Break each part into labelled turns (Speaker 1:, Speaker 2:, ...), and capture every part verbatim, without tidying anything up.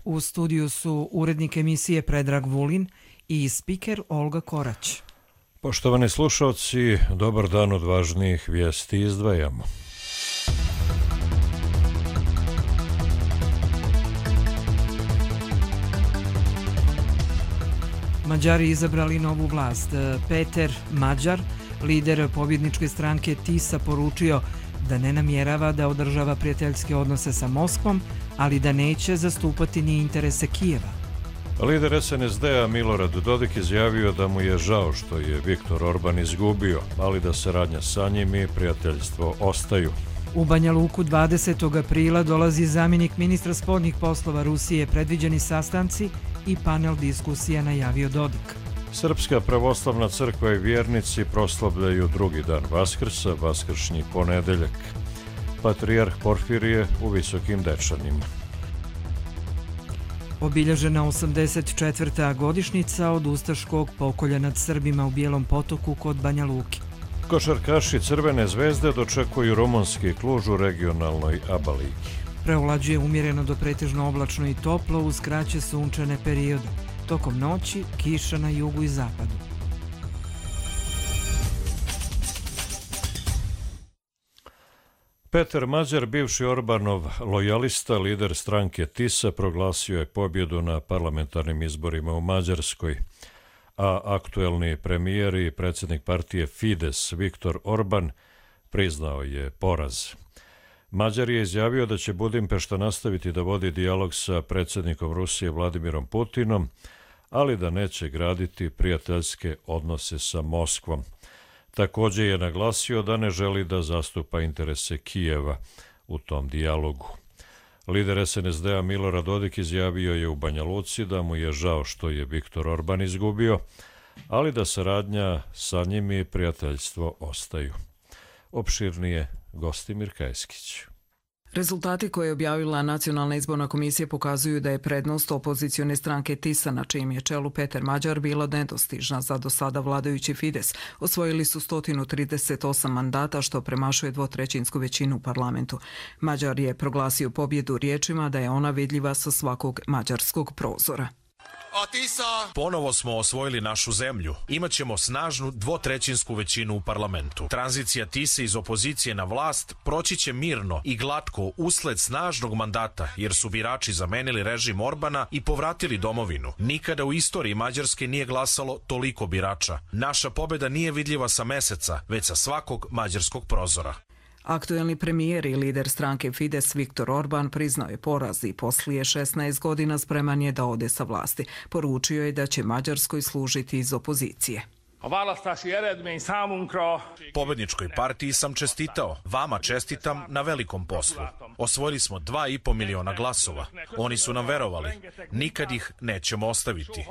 Speaker 1: U studiju su urednik emisije Predrag Vulin i spiker Olga Korać.
Speaker 2: Poštovani slušalci, dobar dan, od važnijih vijesti izdvajamo.
Speaker 1: Mađari izabrali novu vlast. Peter Mađar, lider pobjedničke stranke TISA, poručio da ne namjerava da održava prijateljske odnose sa Moskvom, ali da neće zastupati ni interese Kijeva.
Speaker 2: Lider es en es de a Milorad Dodik izjavio da mu je žao što je Viktor Orban izgubio, ali da saradnja sa njim i prijateljstvo ostaju.
Speaker 1: U Banja Luku dvadesetog aprila dolazi zamjenik ministra spoljnih poslova Rusije. Predviđeni sastanci i panel diskusija najavio Dodik.
Speaker 2: Srpska pravoslavna crkva i vjernici proslavljaju drugi dan Vaskrsa, vaskršnji ponedeljak. Patrijarh Porfirije u Visokim Dečanima.
Speaker 1: Obilježena osamdeset četvrta godišnjica od ustaškog pokolja nad Srbima u Bijelom Potoku kod Banja Luke.
Speaker 2: Košarkaši Crvene zvezde dočekuju rumunski Kluž u regionalnoj ABA ligi.
Speaker 1: Preovlađuje umjereno do pretežno oblačno i toplo uz kraće sunčane periode. Tokom noći kiša na jugu i zapadu.
Speaker 2: Peter Mađar, bivši Orbanov lojalista, lider stranke TISA, proglasio je pobjedu na parlamentarnim izborima u Mađarskoj, a aktuelni premijer i predsjednik partije Fides Viktor Orban priznao je poraz. Mađar je izjavio da će Budimpešta nastaviti da vodi dijalog sa predsjednikom Rusije Vladimirom Putinom, ali da neće graditi prijateljske odnose sa Moskvom. Također je naglasio da ne želi da zastupa interese Kijeva u tom dijalogu. Lider es en es de a Milorad Dodik izjavio je u Banja Luci da mu je žao što je Viktor Orban izgubio, ali da saradnja sa njim i prijateljstvo ostaju. Opširnije Gostimir Kajskić.
Speaker 3: Rezultati koje je objavila Nacionalna izborna komisija pokazuju da je prednost opozicione stranke TISA, na čijem je čelu Peter Mađar, bila nedostižna za do sada vladajući Fides. Osvojili su sto trideset osam mandata, što premašuje dvotrećinsku većinu u parlamentu. Mađar je proglasio pobjedu riječima da je ona vidljiva sa svakog mađarskog prozora.
Speaker 4: Ponovo smo osvojili našu zemlju. Imaćemo snažnu dvotrećinsku većinu u parlamentu. Tranzicija TISA iz opozicije na vlast proći će mirno i glatko usled snažnog mandata, jer su birači zamenili režim Orbana i povratili domovinu. Nikada u istoriji Mađarske nije glasalo toliko birača. Naša pobjeda nije vidljiva sa meseca, već sa svakog mađarskog prozora.
Speaker 3: Aktuelni premijer i lider stranke Fides Viktor Orban priznao je poraz i poslije šesnaest godina spreman je da ode sa vlasti. Poručio je da će Mađarskoj služiti iz opozicije.
Speaker 4: Pobedničkoj partiji sam čestitao. Vama čestitam na velikom poslu. Osvojili smo dva i po miliona glasova. Oni su nam verovali. Nikad ih nećemo ostaviti.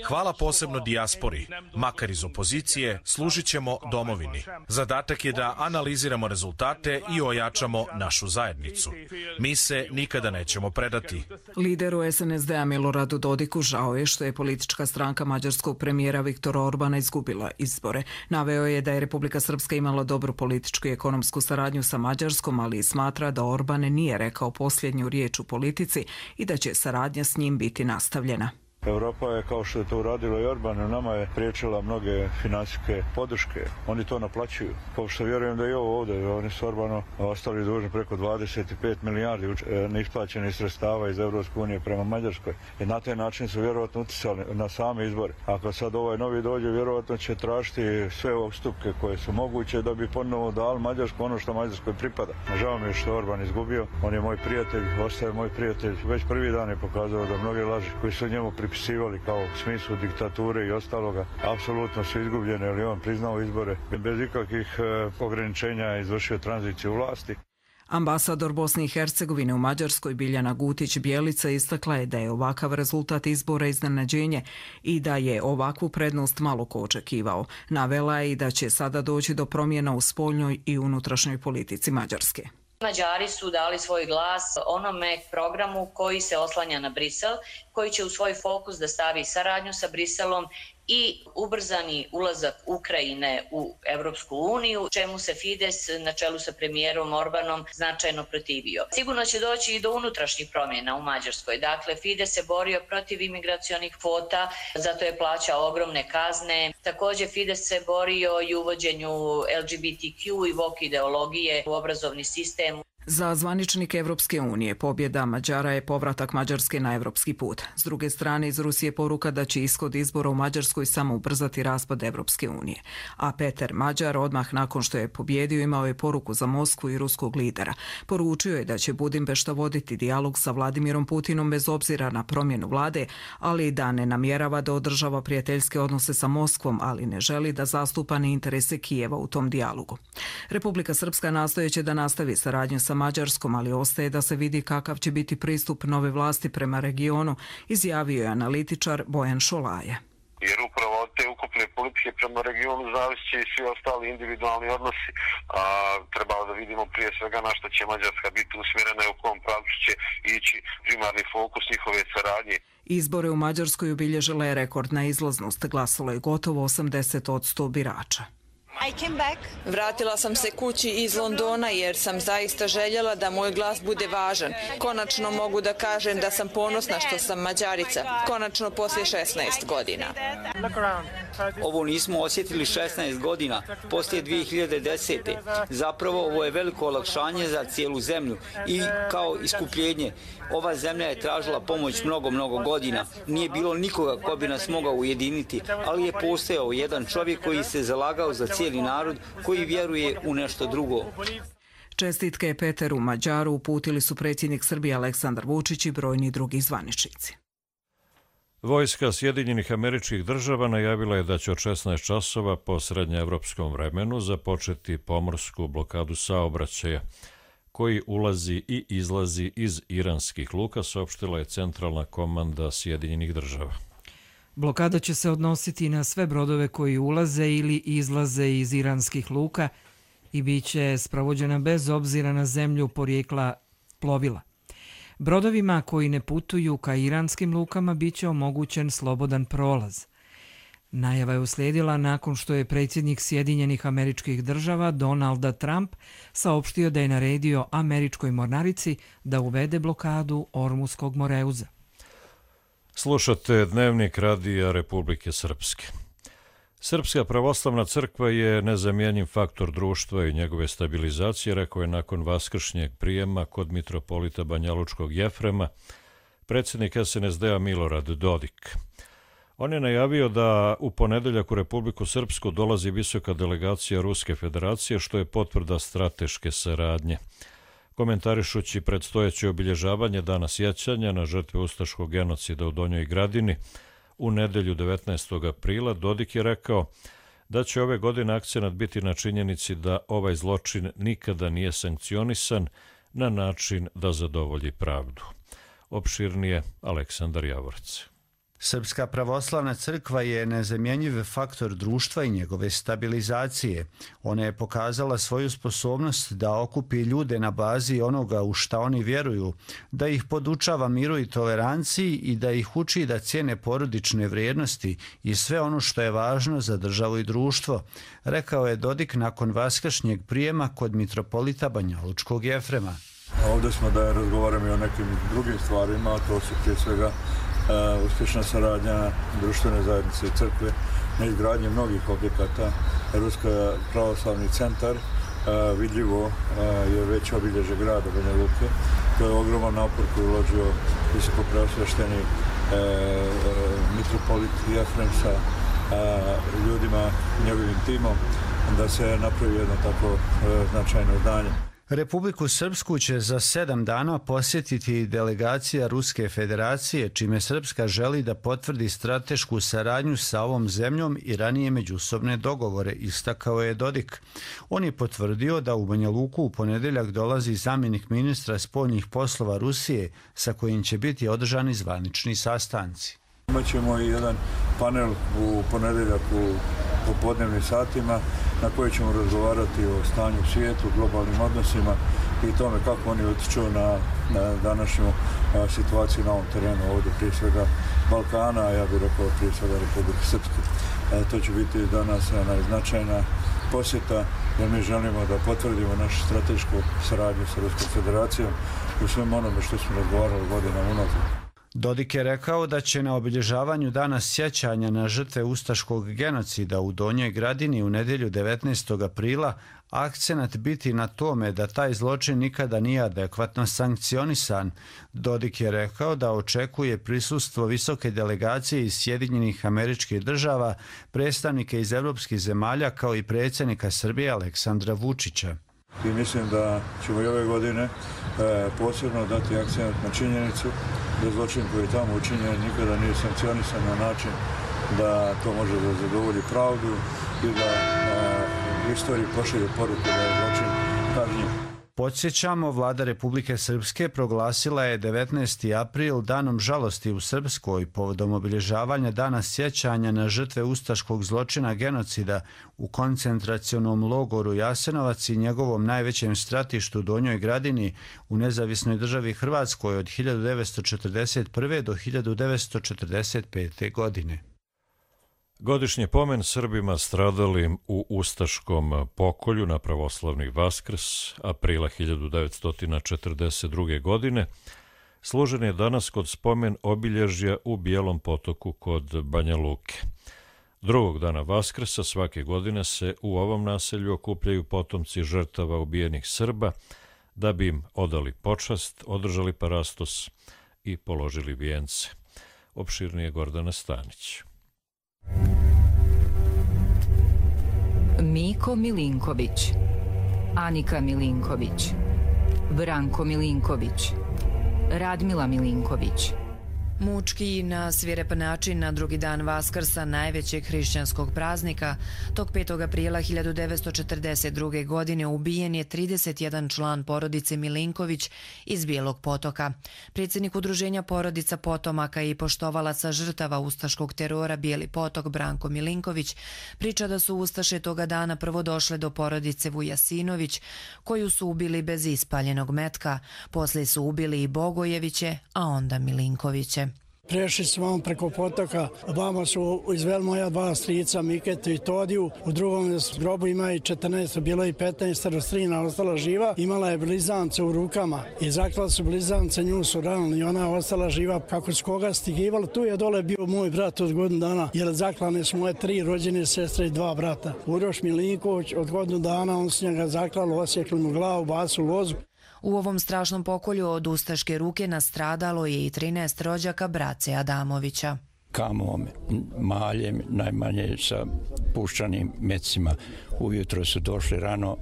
Speaker 4: Hvala posebno dijaspori. Makar iz opozicije, služit ćemo domovini. Zadatak je da analiziramo rezultate i ojačamo našu zajednicu. Mi se nikada nećemo predati.
Speaker 3: Lideru es en es de a Miloradu Dodiku žao je što je politička stranka mađarskog premijera Viktora Orbana izgubila izbore. Naveo je da je Republika Srpska imala dobru političku i ekonomsku saradnju sa Mađarskom, ali smatra da Orban nije rekao posljednju riječ u politici i da će saradnja s njim biti nastavljena.
Speaker 5: Europa je, kao što je to uradilo i Orban, nama je priječila mnoge financijske podrške. Oni to naplaćuju. Kao što vjerujem da i ovo ovdje, oni su Orbanu ostali dužni preko dvadeset pet milijardi neisplaćenih sredstava iz Evropske unije prema Mađarskoj. I na taj način su vjerovatno uticali na same izbore. Ako sad ovaj novi dođe, vjerovatno će tražiti sve ustupke koje su moguće da bi ponovo dali Mađarsku ono što Mađarskoj pripada. Žao mi je što Orban izgubio. On je moj prijatelj, ostaje moj prijatelj. Već prvi dan je pokazao da mnoge laži koji su njemu pripisivali kao u smislu diktature i ostaloga, apsolutno su izgubljene, ali on priznao izbore. Bez ikakvih e, ograničenja izvršio tranziciju vlasti.
Speaker 3: Ambasador Bosne i Hercegovine u Mađarskoj Biljana Gutić-Bjelica istakla je da je ovakav rezultat izbora iznenađenje i da je ovakvu prednost malo ko očekivao. Navela je i da će sada doći do promjena u spoljnoj i unutrašnjoj politici Mađarske.
Speaker 6: Mađari su dali svoj glas onome programu koji se oslanja na Brisel, koji će u svoj fokus da stavi saradnju sa Briselom i ubrzani ulazak Ukrajine u Evropsku uniju, čemu se Fides na čelu sa premijerom Orbanom značajno protivio. Sigurno će doći i do unutrašnjih promjena u Mađarskoj. Dakle, Fides se borio protiv imigracionih kvota, zato je plaćao ogromne kazne. Također Fides se borio i uvođenju L G B T Q i woke ideologije u obrazovni sistem.
Speaker 3: Za zvaničnike Evropske unije pobjeda Mađara je povratak Mađarske na evropski put. S druge strane, iz Rusije poruka da će ishod izbora u Mađarskoj samo ubrzati raspad Evropske unije. A Peter Mađar, odmah nakon što je pobjedio, imao je poruku za Moskvu i ruskog lidera. Poručio je da će Budimpešta voditi dijalog sa Vladimirom Putinom bez obzira na promjenu vlade, ali da ne namjerava da održava prijateljske odnose sa Moskvom, ali ne želi da zastupa ni interese Kijeva u tom dijalogu. Republika Srpska nastojeće da nastavi saradnju sa Mađarskom, ali ostaje da se vidi kakav će biti pristup nove vlasti prema regionu, izjavio je analitičar Bojan Šolaje.
Speaker 7: Jer upravo od te ukupne politike prema regionu zavisi i svi ostali individualni odnosi. A, trebalo da vidimo prije svega na što će Mađarska biti usmjerena i u kom pravcu će ići primarni fokus njihove saradnje.
Speaker 3: Izbore u Mađarskoj obilježila je rekordna izlaznost. Glasalo je gotovo osamdeset posto birača.
Speaker 8: Vratila sam se kući iz Londona jer sam zaista željela da moj glas bude važan. Konačno mogu da kažem da sam ponosna što sam Mađarica. Konačno poslije šesnaest godina.
Speaker 9: Ovo nismo osjetili šesnaest godina, poslije dvije hiljade desete. Zapravo ovo je veliko olakšanje za cijelu zemlju i kao iskupljenje. Ova zemlja je tražila pomoć mnogo, mnogo godina. Nije bilo nikoga ko bi nas mogao ujediniti, ali je postojao jedan čovjek koji se zalagao za cijeli narod, koji vjeruje u nešto drugo.
Speaker 3: Čestitke Peteru Mađaru uputili su predsjednik Srbije Aleksandar Vučić i brojni drugi zvaničnici.
Speaker 2: Vojska Sjedinjenih Američkih Država najavila je da će od šesnaest časova po srednjeevropskom vremenu započeti pomorsku blokadu saobraćaja koji ulazi i izlazi iz iranskih luka, saopštila je centralna komanda Sjedinjenih Država.
Speaker 1: Blokada će se odnositi na sve brodove koji ulaze ili izlaze iz iranskih luka i bit će spravođena bez obzira na zemlju porijekla plovila. Brodovima koji ne putuju ka iranskim lukama bit će omogućen slobodan prolaz. Najava je uslijedila nakon što je predsjednik Sjedinjenih Američkih Država Donalda Trump saopštio da je naredio američkoj mornarici da uvede blokadu Ormuskog moreuza.
Speaker 2: Slušate Dnevnik radija Republike Srpske. Srpska pravoslavna crkva je nezamjenjiv faktor društva i njegove stabilizacije, rekao je nakon vaskršnjeg prijema kod mitropolita Banjalučkog Jefrema predsjednik S N S D-a Milorad Dodik. On je najavio da u ponedeljak u Republiku Srpsku dolazi visoka delegacija Ruske federacije, što je potvrda strateške saradnje. Komentarišući predstojeće obilježavanje dana sjećanja na žrtve ustaškog genocida u Donjoj Gradini u nedelju devetnaestog aprila, Dodik je rekao da će ove godine akcenat biti na činjenici da ovaj zločin nikada nije sankcionisan na način da zadovolji pravdu. Opširnije Aleksandar Javorac.
Speaker 10: Srpska pravoslavna crkva je nezamjenjiv faktor društva i njegove stabilizacije. Ona je pokazala svoju sposobnost da okupi ljude na bazi onoga u šta oni vjeruju, da ih podučava miru i toleranciji i da ih uči da cijene porodične vrijednosti i sve ono što je važno za državu i društvo, rekao je Dodik nakon vaskršnjeg prijema kod mitropolita Banjalučkog Jefrema.
Speaker 5: Ovdje smo da razgovaramo i o nekim drugim stvarima, a to su prije svega Uh, uspješna saradnja društvene zajednice i crkve na izgradnji mnogih objekata. Ruska pravoslavni centar uh, vidljivo uh, je već obilježe grada Banja Luke. To je ogroman napor koji je uložio visoko preosvešteni uh, uh, mitropolit Jefrem sa uh, ljudima, njegovim timom, da se napravi jedno tako uh, značajno zdanje.
Speaker 10: Republiku Srpsku će za sedam dana posjetiti delegacija Ruske federacije, čime Srpska želi da potvrdi stratešku saradnju sa ovom zemljom i ranije međusobne dogovore, istakao je Dodik. On je potvrdio da u Banja Luku u ponedeljak dolazi zamjenik ministra spoljnih poslova Rusije, sa kojim će biti održani zvanični sastanci.
Speaker 5: Imaćemo i jedan panel u ponedeljak u popodnevnim satima na koji ćemo razgovarati o stanju u svijetu, globalnim odnosima i tome kako oni utiču na, na današnju a, situaciju na ovom terenu, ovdje prije svega Balkana, a ja bih rekao prije svega Republike Srpske. To će biti danas najznačajna posjeta, jer mi želimo da potvrdimo našu stratešku saradnju sa Ruskom federacijom u svem onome što smo razgovarali godinama unazad.
Speaker 10: Dodik je rekao da će na obilježavanju dana sjećanja na žrtve ustaškog genocida u Donjoj Gradini u nedjelju devetnaestog aprila akcenat biti na tome da taj zločin nikada nije adekvatno sankcionisan. Dodik je rekao da očekuje prisustvo visoke delegacije iz Sjedinjenih Američkih Država, predstavnike iz evropskih zemalja kao i predsjednika Srbije Aleksandra Vučića.
Speaker 5: I mislim da ćemo i ove godine e, posebno dati akcent na činjenicu da zločin koji je tamo učinjen nikada nije sankcionisan na način da to može da zadovolji pravdu i da e, istoriji pošalje poruku da je zločin kažnjiv.
Speaker 10: Podsjećamo, vlada Republike Srpske proglasila je devetnaesti april danom žalosti u Srpskoj povodom obilježavanja dana sjećanja na žrtve ustaškog zločina genocida u koncentracionom logoru Jasenovac i njegovom najvećem stratištu Donjoj Gradini u nezavisnoj državi Hrvatskoj od hiljadu devetsto četrdeset prve do hiljadu devetsto četrdeset pete. godine.
Speaker 2: Godišnji pomen Srbima stradalim u ustaškom pokolju na pravoslavni Vaskrs aprila hiljadu devetsto četrdeset druge. godine služen je danas kod spomen obilježja u Bijelom Potoku kod Banja Luke. Drugog dana Vaskrsa svake godine se u ovom naselju okupljaju potomci žrtava ubijenih Srba da bi im odali počast, održali parastos i položili vijence. Opširnije Gordana Stanić.
Speaker 11: Miko Milinković, Anika Milinković, Branko Milinković, Radmila Milinković.
Speaker 12: Mučki na svirep način na drugi dan Vaskrsa, najvećeg hrišćanskog praznika, tog petog aprila hiljadu devetsto četrdeset druge. godine ubijen je trideset jedan član porodice Milinković iz Bijelog Potoka. Predsjednik udruženja porodica potomaka i poštovalaca žrtava ustaškog terora Bijeli Potok Branko Milinković priča da su ustaše toga dana prvo došle do porodice Vujasinović, koju su ubili bez ispaljenog metka. Poslije su ubili i Bogojeviće, a onda Milinkoviće.
Speaker 13: Prešli smo vam preko potoka, vama su izveli moja dva strica, Miketu i Todiju. U drugom grobu ima i četrnaest, bilo i petnaest, strina ostala živa. Imala je blizance u rukama i zaklali su blizance, nju su ranili i ona je ostala živa. Kako su koga stigivali, tu je dole bio moj brat od godinu dana, jer zaklane su moje tri rođene sestre i dva brata. Uroš Milinković od godinu dana, on su njega zaklali, osjekli mu glavu, basu lozu.
Speaker 12: U ovom strašnom pokolju od ustaške ruke nastradalo je i trinaest rođaka brace Adamovića.
Speaker 14: Kamom, maljem, najmanje sa puščanim mecima. Ujutro su došli rano,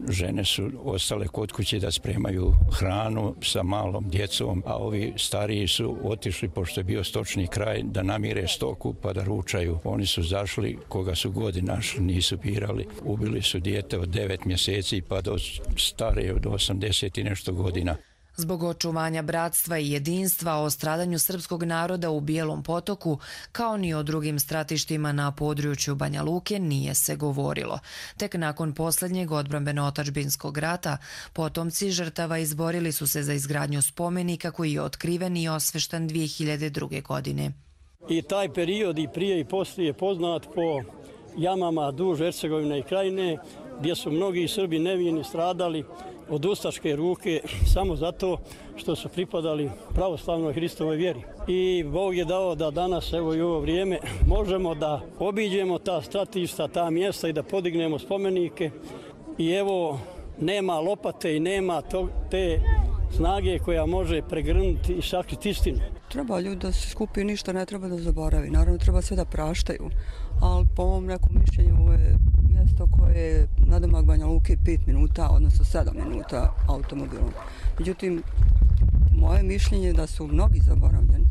Speaker 14: žene su ostale kod kuće da spremaju hranu sa malom djecom, a ovi stariji su otišli, pošto je bio stočni kraj, da namire stoku pa da ručaju. Oni su zašli, koga su godi našli, nisu birali. Ubili su dijete od devet mjeseci pa do stare od osamdeset i nešto godina.
Speaker 12: Zbog očuvanja bratstva i jedinstva o stradanju srpskog naroda u Bijelom Potoku, kao ni o drugim stratištima na području Banja Luke, nije se govorilo. Tek nakon posljednjeg odbrambeno-otadžbinskog rata, potomci žrtava izborili su se za izgradnju spomenika koji je otkriven i osvešten dvije hiljade druge. godine.
Speaker 15: I taj period i prije i poslije je poznat po jamama duž Hercegovine i Krajine, gdje su mnogi Srbi nevini stradali od ustaške ruke samo zato što su pripadali pravoslavnoj Hristovoj vjeri. I Bog je dao da danas, evo i ovo vrijeme, možemo da obiđemo ta stratišta, ta mjesta i da podignemo spomenike. I evo, nema lopate i nema to, te snage koja može pregrnuti i sakriti istinu.
Speaker 16: Treba ljudi da se skupi, ništa ne treba da zaboravi. Naravno, treba sve da praštaju. Ali po ovom nekom mišljenju ovo je mjesto koje je nadomak Banja Luke pet minuta, odnosno sedam minuta automobilom. Međutim, moje mišljenje je da su mnogi zaboravljeni.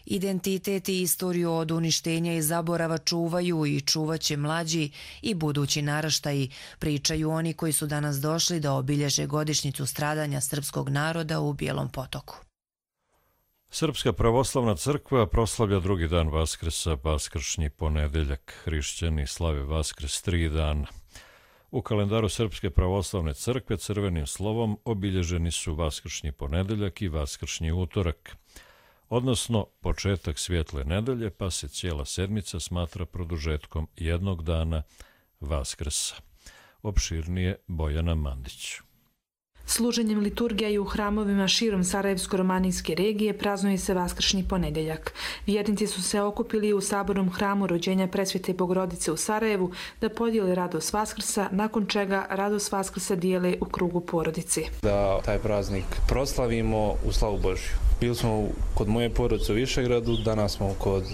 Speaker 12: Identitet i istoriju od uništenja i zaborava čuvaju i čuvaće mlađi i budući naraštaji, pričaju oni koji su danas došli da obilježe godišnjicu stradanja srpskog naroda u Bijelom Potoku.
Speaker 2: Srpska pravoslavna crkva proslavlja drugi dan Vaskrsa, vaskršnji ponedeljak. Hrišćani slave Vaskrs tri dana. U kalendaru Srpske pravoslavne crkve crvenim slovom obilježeni su vaskršnji ponedeljak i vaskršnji utorak. odnosno početak svjetle nedelje, pa se cijela sedmica smatra produžetkom jednog dana Vaskrsa. Opširnije Bojana Mandić.
Speaker 17: Služenjem liturgija i u hramovima širom Sarajevsko-romanijske regije praznuje se Vaskršnji ponedjeljak. Vjernici su se okupili u sabornom hramu rođenja Presvete Bogorodice u Sarajevu da podijele radost Vaskrsa, nakon čega radost Vaskrsa dijele u krugu porodici.
Speaker 18: Da taj praznik proslavimo u slavu Božju. Bili smo kod moje porodice u Višegradu, danas smo kod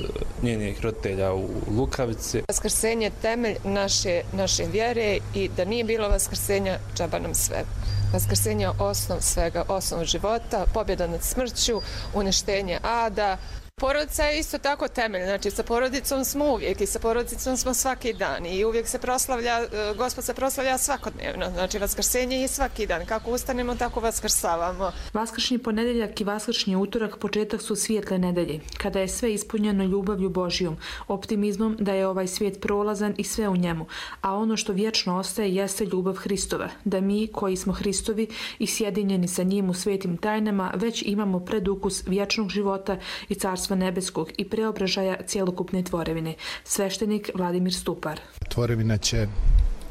Speaker 18: njenih roditelja u Lukavici.
Speaker 19: Vaskrsenje je temelj naše, naše vjere i da nije bilo vaskrsenja, džaba nam sve. Vaskrsenje je osnov svega, osnov života, pobjeda nad smrću, uništenje ada. Porodica je isto tako temelj, znači sa porodicom smo uvijek i sa porodicom smo svaki dan i uvijek se proslavlja, Gospod se proslavlja svakodnevno, znači vaskrsenje je svaki dan, kako ustanemo tako vaskrsavamo.
Speaker 17: Vaskršnji ponedjeljak i vaskršnji utorak početak su svijetle nedelje, kada je sve ispunjeno ljubavlju Božijom, optimizmom da je ovaj svijet prolazan i sve u njemu, a ono što vječno ostaje jeste ljubav Hristova, da mi koji smo Hristovi i sjedinjeni sa njim u svetim tajnama već imamo predukus vječnog života i carstva nebeskog i preobražaja cjelokupne tvorevine. Sveštenik Vladimir Stupar.
Speaker 20: Tvorevina će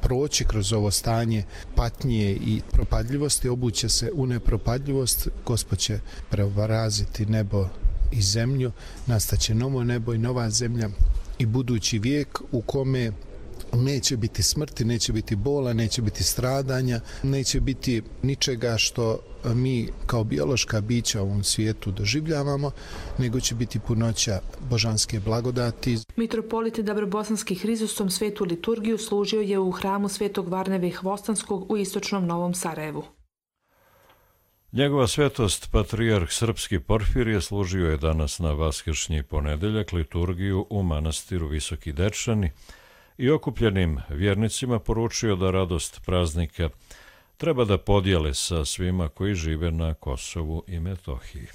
Speaker 20: proći kroz ovo stanje patnje i propadljivosti, obuće se u nepropadljivost, Gospod će preobraziti nebo i zemlju, nastaće novo nebo i nova zemlja i budući vijek u kome neće biti smrti, neće biti bola, neće biti stradanja, neće biti ničega što mi kao biološka bića u ovom svijetu doživljavamo, nego će biti punoća božanske blagodati.
Speaker 17: Mitropolit Dabrobosanski Hrizostom svetu liturgiju služio je u hramu Svetog Varnave Hvostanskog u istočnom Novom Sarajevu.
Speaker 2: Njegova svetost, patrijarh srpski Porfirije, služio je danas na Vaskršnji ponedjeljak liturgiju u manastiru Visoki Dečani i okupljenim vjernicima poručio da radost praznika treba da podijele sa svima koji žive na Kosovu i Metohiji.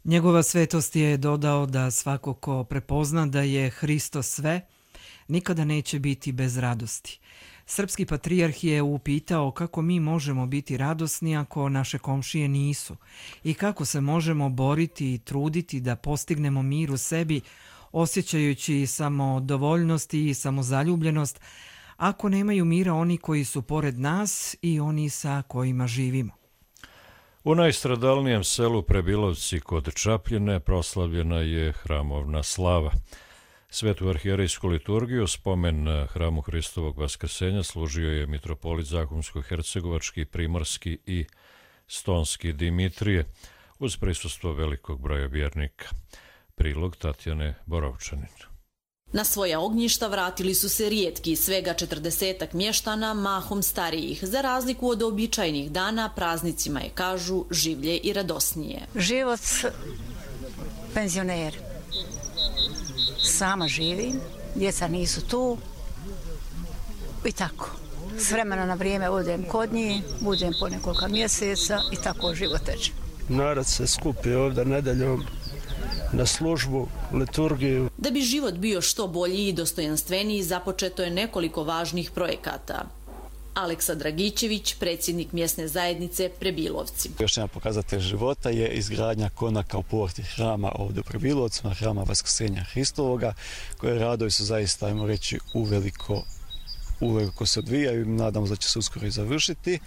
Speaker 1: Njegova svetost je dodao da svako ko prepozna da je Hristo sve, nikada neće biti bez radosti. Srpski patrijarh je upitao kako mi možemo biti radosni ako naše komšije nisu i kako se možemo boriti i truditi da postignemo mir u sebi, osjećajući samodovoljnost i samozaljubljenost, ako nemaju mira oni koji su pored nas i oni sa kojima živimo.
Speaker 2: U najstradalnijem selu Prebilovci kod Čapljine proslavljena je hramovna slava. Svetu arhijerejsku liturgiju, spomen hramu Hristovog vaskrsenja, služio je mitropolit Zahumsko-hercegovački, primorski i stonski Dimitrije, uz prisustvo velikog broja vjernika. Prilog Tatjane Borovčanin.
Speaker 21: Na svoja ognjišta vratili su se rijetki, svega četrdesetak mještana, mahom starijih. Za razliku od običajnih dana, praznicima je, kažu, življe i radosnije.
Speaker 22: Život penzioner. Sama živim, djeca nisu tu i tako. S vremena na vrijeme odem kod njih, budem po nekoliko mjeseca i tako život teče.
Speaker 23: Narod se skupi ovdje nedeljom na službu, liturgiju.
Speaker 21: Da bi život bio što bolji i dostojanstveniji, započeto je nekoliko važnih projekata. Aleksa Dragićević, predsjednik mjesne zajednice Prebilovci.
Speaker 24: Još jedan pokazatelj života je izgradnja konaka u porti hrama ovdje u Prebilovcima, hrama Vaskrsenja Hristovoga, koje radovi su zaista, ajmo reći, uveliko uveliko se odvijaju i nadamo se da će se uskoro i završiti.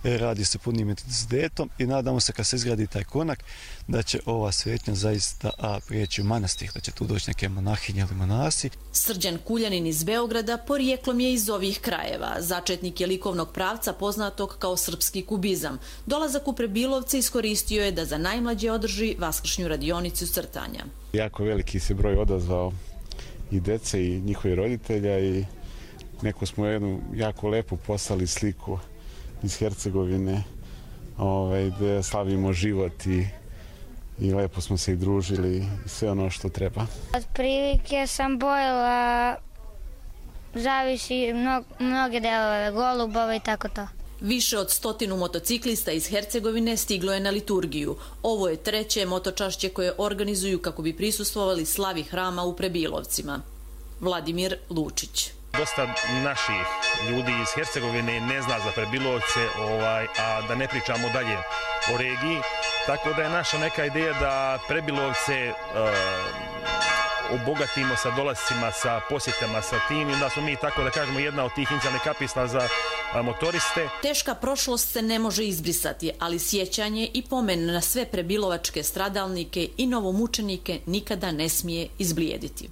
Speaker 24: Radi se punim intenzitetom i nadamo se kad se izgradi taj konak da će ova svetnja zaista a, prijeći u manastir, da će tu doći neke monahinje ili monasi.
Speaker 21: Srđan Kuljanin iz Beograda porijeklom je iz ovih krajeva. Začetnik je likovnog pravca poznatog kao srpski kubizam. Dolazak u Prebilovce iskoristio je da za najmlađe održi vaskršnju radionicu crtanja.
Speaker 25: Jako veliki se broj odazvao i dece i njihovi roditelja i neko smo jednu jako lepu poslali sliku iz Hercegovine ovaj, gdje slavimo život i, i lepo smo se i družili i sve ono što treba.
Speaker 26: Od prilike sam bojila, zavisi mnog, mnoge delove, golubove i tako to.
Speaker 21: Više od stotinu motociklista iz Hercegovine stiglo je na liturgiju. Ovo je treće motočašće koje organizuju kako bi prisustvovali slavi hrama u Prebilovcima. Vladimir Lučić.
Speaker 27: Dosta naših ljudi iz Hercegovine ne zna za Prebilovce, ovaj, a da ne pričamo dalje o regiji. Tako da je naša neka ideja da Prebilovce uh, obogatimo sa dolascima, sa posjetama, sa tim, i onda smo mi, tako da kažemo, jedna od tih inicijalnih kapisla za a, motoriste.
Speaker 21: Teška prošlost se ne može izbrisati, ali sjećanje i pomen na sve prebilovačke stradalnike i novomučenike nikada ne smije izblijediti.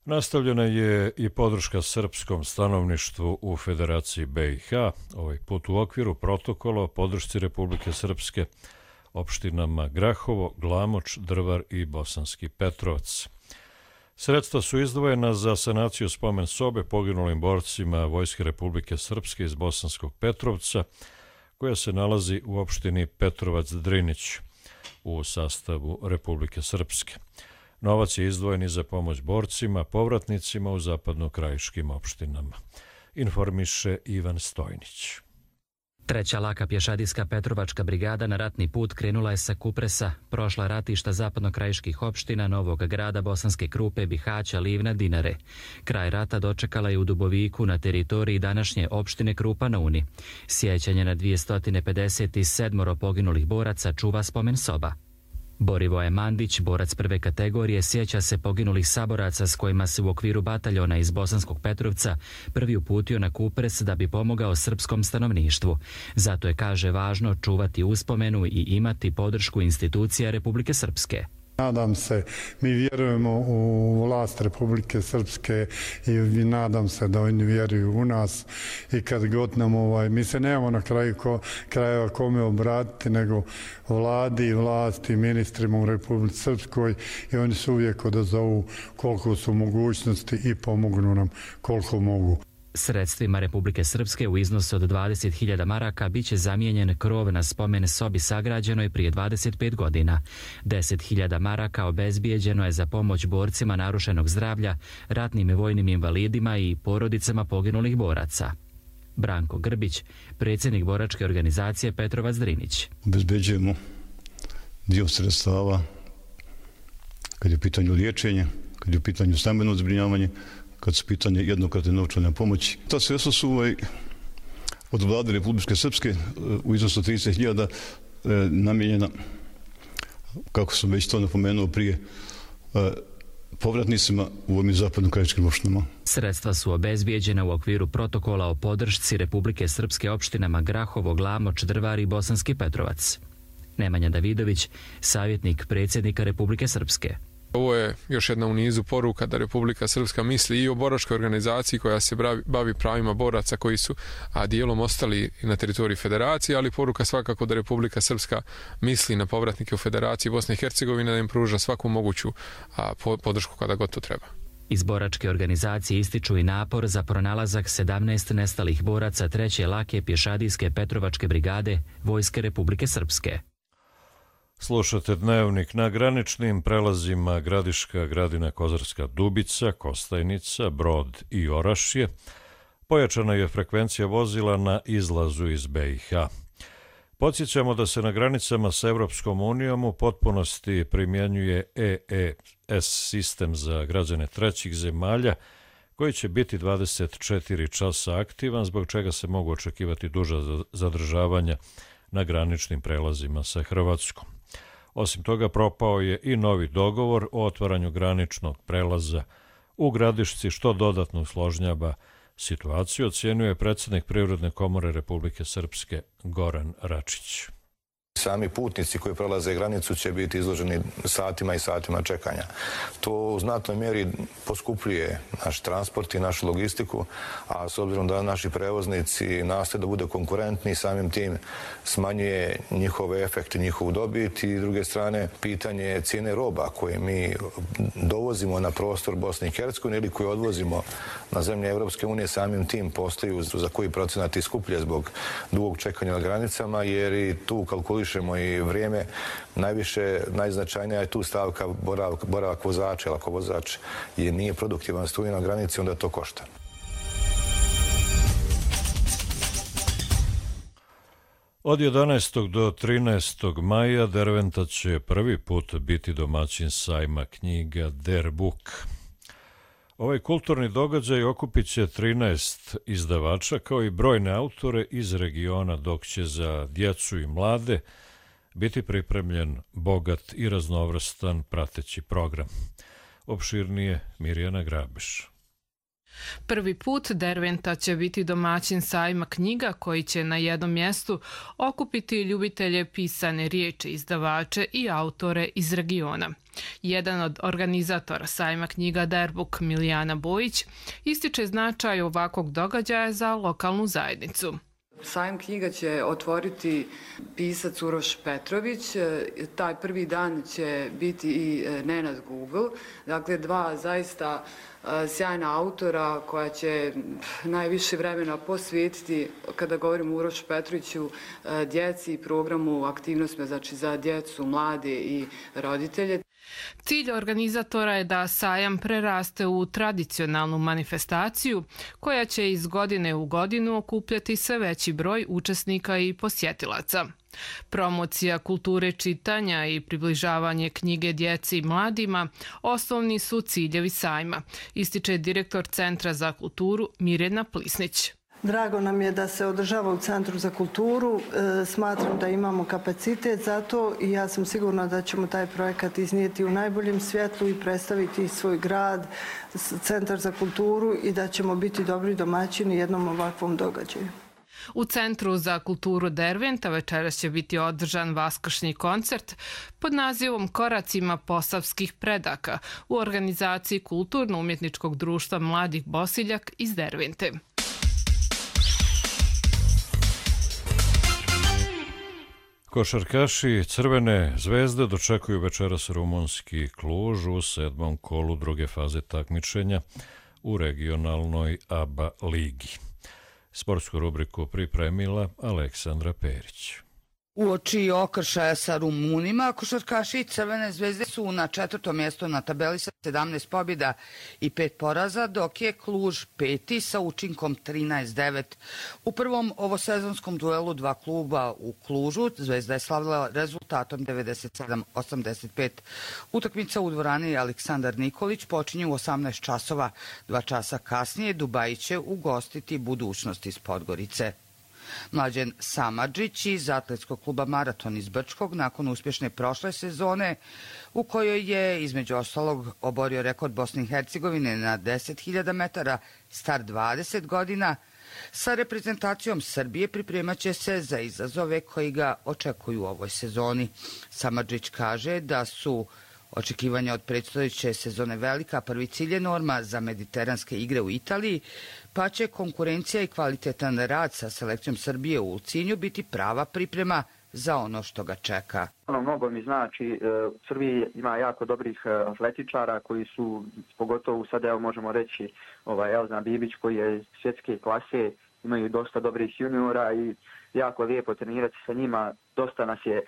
Speaker 2: Nastavljena je i podrška srpskom stanovništvu u Federaciji be i ha, ovaj put u okviru protokola o podršci Republike Srpske opštinama Grahovo, Glamoč, Drvar i Bosanski Petrovac. Sredstva su izdvojena za sanaciju spomen sobe poginulim borcima Vojske Republike Srpske iz Bosanskog Petrovca, koja se nalazi u opštini Petrovac-Drinić u sastavu Republike Srpske. Novac je izdvojen i za pomoć borcima, povratnicima u zapadno-krajiškim opštinama. Informiše Ivan Stojnić.
Speaker 3: Treća laka pješadijska Petrovačka brigada na ratni put krenula je sa Kupresa, prošla ratišta zapadno-krajiških opština, Novog Grada, Bosanske Krupe, Bihaća, Livna, Dinare. Kraj rata dočekala je u Duboviku na teritoriji današnje opštine Krupa na Uni. Sjećanje na dvjesto pedeset sedam poginulih boraca čuva spomen soba. Borivoje Mandić, borac prve kategorije, sjeća se poginulih saboraca s kojima se u okviru bataljona iz Bosanskog Petrovca prvi uputio na Kupres da bi pomogao srpskom stanovništvu. Zato je, kaže, važno čuvati uspomenu i imati podršku institucija Republike Srpske.
Speaker 4: Nadam se, mi vjerujemo u vlast Republike Srpske i nadam se da oni vjeruju u nas i kad god nam ovaj, mi se nemamo na kraju ko, krajeva kome obratiti nego vladi i vlasti, ministrima u Republici Srpskoj i oni su uvijek odazovu koliko su mogućnosti i pomognu nam koliko mogu.
Speaker 3: Sredstvima Republike Srpske u iznosu od dvadeset hiljada maraka biće zamijenjen krov na spomen sobi sagrađenoj prije dvadeset pet godina. deset hiljada maraka obezbijeđeno je za pomoć borcima narušenog zdravlja, ratnim i vojnim invalidima i porodicama poginulih boraca. Branko Grbić, predsjednik boračke organizacije Petrovac-Drinić.
Speaker 5: Obezbeđujemo dio sredstava kad je u pitanju liječenja, kad je u pitanju stambeno zbrinjavanje, kad su pitanje jednokratne novčane pomoći. Ta sredstva su ovaj, od vlade Republike Srpske u iznosu trideset hiljada e, namijenjena, kako sam već to napomenuo prije, e, povratnicima u ovim zapadno-krajiškim opštinama.
Speaker 3: Sredstva su obezbijeđena u okviru protokola o podršci Republike Srpske opštinama Grahovo, Glamoč, Drvar i Bosanski Petrovac. Nemanja Davidović, savjetnik predsjednika Republike Srpske.
Speaker 6: Ovo je još jedna u nizu poruka da Republika Srpska misli i o boračkoj organizaciji koja se bavi pravima boraca koji su a dijelom ostali na teritoriji federacije, ali poruka svakako da Republika Srpska misli na povratnike u Federaciji Bosne i Hercegovine, da im pruža svaku moguću a, podršku kada god to treba.
Speaker 3: Iz boračke organizacije ističu i napor za pronalazak sedamnaest nestalih boraca treće lake pješadijske Petrovačke brigade Vojske Republike Srpske.
Speaker 2: Slušate Dnevnik. Na graničnim prelazima Gradiška, Gradina, Kozarska Dubica, Kostajnica, Brod i Orašje pojačana je frekvencija vozila na izlazu iz be i ha. Podsjećamo da se na granicama s Evropskom unijom u potpunosti primjenjuje e e es sistem za građane trećih zemalja koji će biti dvadeset četiri časa aktivan, zbog čega se mogu očekivati duža zadržavanja na graničnim prelazima sa Hrvatskom. Osim toga, propao je i novi dogovor o otvaranju graničnog prelaza u Gradišci, što dodatno usložnjava situaciju, ocjenjuje predsjednik Privredne komore Republike Srpske Goran Račić.
Speaker 7: Sami putnici koji prelaze granicu će biti izloženi satima i satima čekanja. To u znatnoj mjeri poskupljuje naš transport i našu logistiku, a s obzirom da naši prevoznici nastoje da bude konkurentni, samim tim smanjuje njihove efekte, njihovu dobit i, s druge strane, pitanje cijene roba koje mi dovozimo na prostor Bosne i Hercegovine ili koje odvozimo na zemlje Evropske unije, samim tim postaju za koji procenat i skuplje zbog dugog čekanja na granicama, jer i tu kalkuliš i vrijeme, najviše, najznačajnija je tu stavka boravak, boravak vozača, jer ako vozač je, nije produktivan, stoji na granici, onda to košta.
Speaker 2: Od jedanaestog do trinaestog maja Derventa će prvi put biti domaćin sajma knjiga Der Book. Ovaj kulturni događaj okupit će trinaest izdavača kao i brojne autore iz regiona, dok će za djecu i mlade biti pripremljen bogat i raznovrstan prateći program. Opširnije Mirjana Grabiš.
Speaker 8: Prvi put Derventa će biti domaćin sajma knjiga koji će na jednom mjestu okupiti ljubitelje pisane riječi, izdavače i autore iz regiona. Jedan od organizatora sajma knjiga Derbuk, Milijana Bojić, ističe značaj ovakvog događaja za lokalnu zajednicu.
Speaker 9: Sajam knjiga će otvoriti pisac Uroš Petrović, taj prvi dan će biti i Nenad Google, dakle dva zaista sjajna autora koja će najviše vremena posvetiti, kada govorimo o Urošu Petroviću, djeci i programu aktivnostima, znači za djecu, mlade i roditelje.
Speaker 8: Cilj organizatora je da sajam preraste u tradicionalnu manifestaciju koja će iz godine u godinu okupljati sve veći broj učesnika i posjetilaca. Promocija kulture čitanja i približavanje knjige djeci i mladima osnovni su ciljevi sajma, ističe direktor Centra za kulturu Mirjana Plisnić.
Speaker 10: Drago nam je da se održava u Centru za kulturu. E, smatram da imamo kapacitet za to i ja sam sigurna da ćemo taj projekat iznijeti u najboljem svjetlu i predstaviti svoj grad, Centar za kulturu i da ćemo biti dobri domaćini jednom ovakvom događaju.
Speaker 8: U Centru za kulturu Derventa večeras će biti održan vaskršnji koncert pod nazivom Koracima posavskih predaka u organizaciji Kulturno-umjetničkog društva Mladih Bosiljak iz Dervente.
Speaker 2: Košarkaši Crvene zvezde dočekuju večeras rumunski Kluž u sedmom kolu druge faze takmičenja u regionalnoj A B A ligi. Sportsku rubriku pripremila Aleksandra Perić.
Speaker 11: Uoči okršaja sa Rumunima, košarkaši Crvene zvezde su na četvrtom mjestu na tabeli sa sedamnaest pobjeda i pet poraza, dok je Kluž peti sa učinkom trinaest devet. U prvom ovosezonskom duelu dva kluba u Klužu Zvezda je slavila rezultatom devedeset sedam osamdeset pet. Utakmica u dvorani Aleksandar Nikolić počinje u osamnaest časova. Dva časa kasnije Dubaji će ugostiti Budućnost iz Podgorice. Mlađen Samardžić iz atletskog kluba Maraton iz Brčkog nakon uspješne prošle sezone u kojoj je između ostalog oborio rekord Bosne i Hercegovine na deset hiljada metara star dvadeset godina, sa reprezentacijom Srbije pripremat će se za izazove koji ga očekuju u ovoj sezoni. Samardžić kaže da su očekivanja od predstojeće sezone velika, prvi cilj je norma za mediteranske igre u Italiji, pa će konkurencija i kvalitetan rad sa selekcijom Srbije u Ulcinju biti prava priprema za ono što ga čeka.
Speaker 13: Ono mnogo mi znači, u Srbiji ima jako dobrih atletičara koji su, pogotovo sada evo možemo reći ovaj, Elzan Bibić koji je svjetske klase, imaju dosta dobrih juniora i jako lijepo trenirati sa njima. Dosta nas je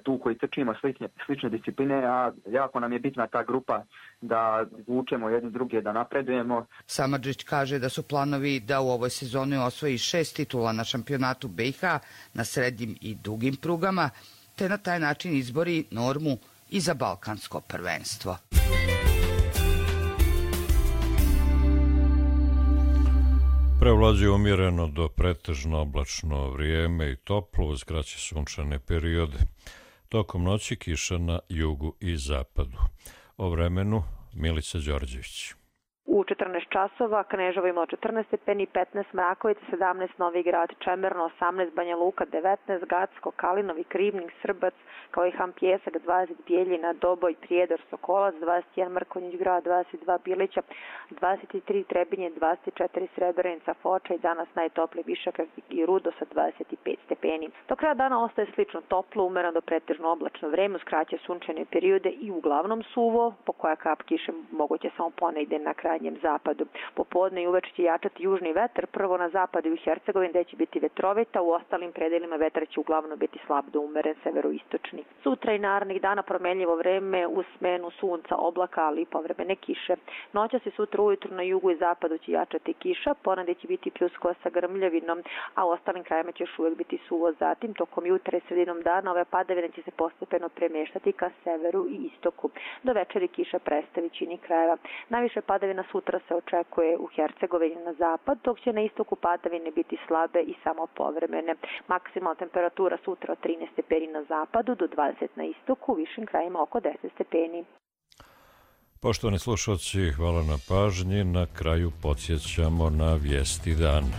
Speaker 13: tu koji trčimo slične, slične discipline, a jako nam je bitna ta grupa da vučemo jedni druge, da napredujemo.
Speaker 11: Samardžić kaže da su planovi da u ovoj sezoni osvoji šest titula na šampionatu B i H na srednjim i dugim prugama, te na taj način izbori normu i za balkansko prvenstvo.
Speaker 2: Prevlađuje umjereno do pretežno oblačno vrijeme i toplo uz kraće sunčane periode. Tokom noći kiša na jugu i zapadu. O vremenu Milica Đorđević.
Speaker 14: U četrnaest časova Kneževo imalo četrnaest stepeni, petnaest Mrakovica, sedamnaest Novi Grad, Čemerno, osamnaest Banja Luka, devetnaest Gacko, Kalinovi, Krivnik, Srbac, kao i Ham Pjesak, dvadeset Bijeljina, Doboj, Prijedor, Sokolac, dvadeset jedan Mrkonjić Grad, dvadeset dva Bilića, dvadeset tri Trebinje, dvadeset četiri Srebrenica, Foča i danas najtopliji Višak i Rudo sa dvadeset pet stepeni. Do kraja dana ostaje slično toplo, umereno do pretežno oblačno vreme, uz kraće sunčane periode i uglavnom suvo, po koja kap kiše moguće samo ponegde na krajnjem zapadu. Popodne i uveče će jačati južni vetar, prvo na zapadu i u Hercegovini gde će biti vetrovita, u ostalim predelima vetar će uglavnom biti slab do umeren severoistočni. Sutra i narednih dana promenljivo vreme uz smenu sunca, oblaka, ali i povremene kiše. Noćas i sutra ujutru na jugu i zapadu će jačati kiša, ponegde će biti pljuskova sa grmljavinom, a u ostalim krajima će još uvek biti suvo. Zatim, tokom jutra i sredinom dana ove padavine će se postepeno premeštati ka severu i istoku. Do večeri kiša prestaje većini krajeva. Najviše padavina sutra se očekuje u Hercegovini na zapad, dok će na istoku padavine biti slabe i samo povremene. Maksimalna temperatura sutra od trinaest stepeni na zapadu do dvadeset na istoku, u višim krajima oko deset stepeni.
Speaker 2: Poštovani slušalci, hvala na pažnji. Na kraju podsjećamo na vijesti dana.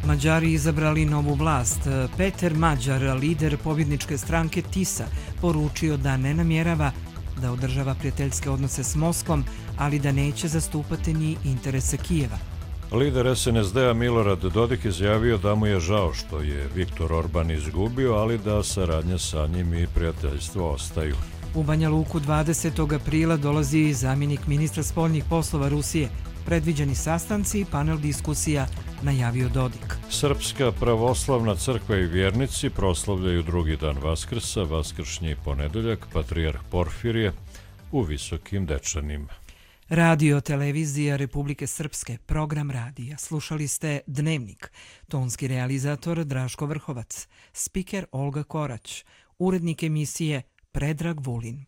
Speaker 1: Mađari izabrali novu vlast. Peter Mađar, lider pobjedničke stranke TISA, poručio da ne namjerava da održava prijateljske odnose s Moskvom, ali da neće zastupati ni interese Kijeva.
Speaker 2: Lider es en es de a Milorad Dodik izjavio da mu je žao što je Viktor Orban izgubio, ali da saradnja sa njim i prijateljstvo ostaju.
Speaker 1: U Banja Luku dvadesetog aprila dolazi zamjenik ministra spoljnih poslova Rusije. Predviđeni sastanci i panel diskusija najavio Dodik.
Speaker 2: Srpska pravoslavna crkva i vjernici proslavljaju drugi dan Vaskrsa, vaskršnji ponedeljak, patrijarh Porfirije u Visokim Dečanima.
Speaker 1: Radio televizija Republike Srpske, program radija. Slušali ste Dnevnik. Tonski realizator Draško Vrhovac, spiker Olga Korać, urednik emisije Predrag Vulin.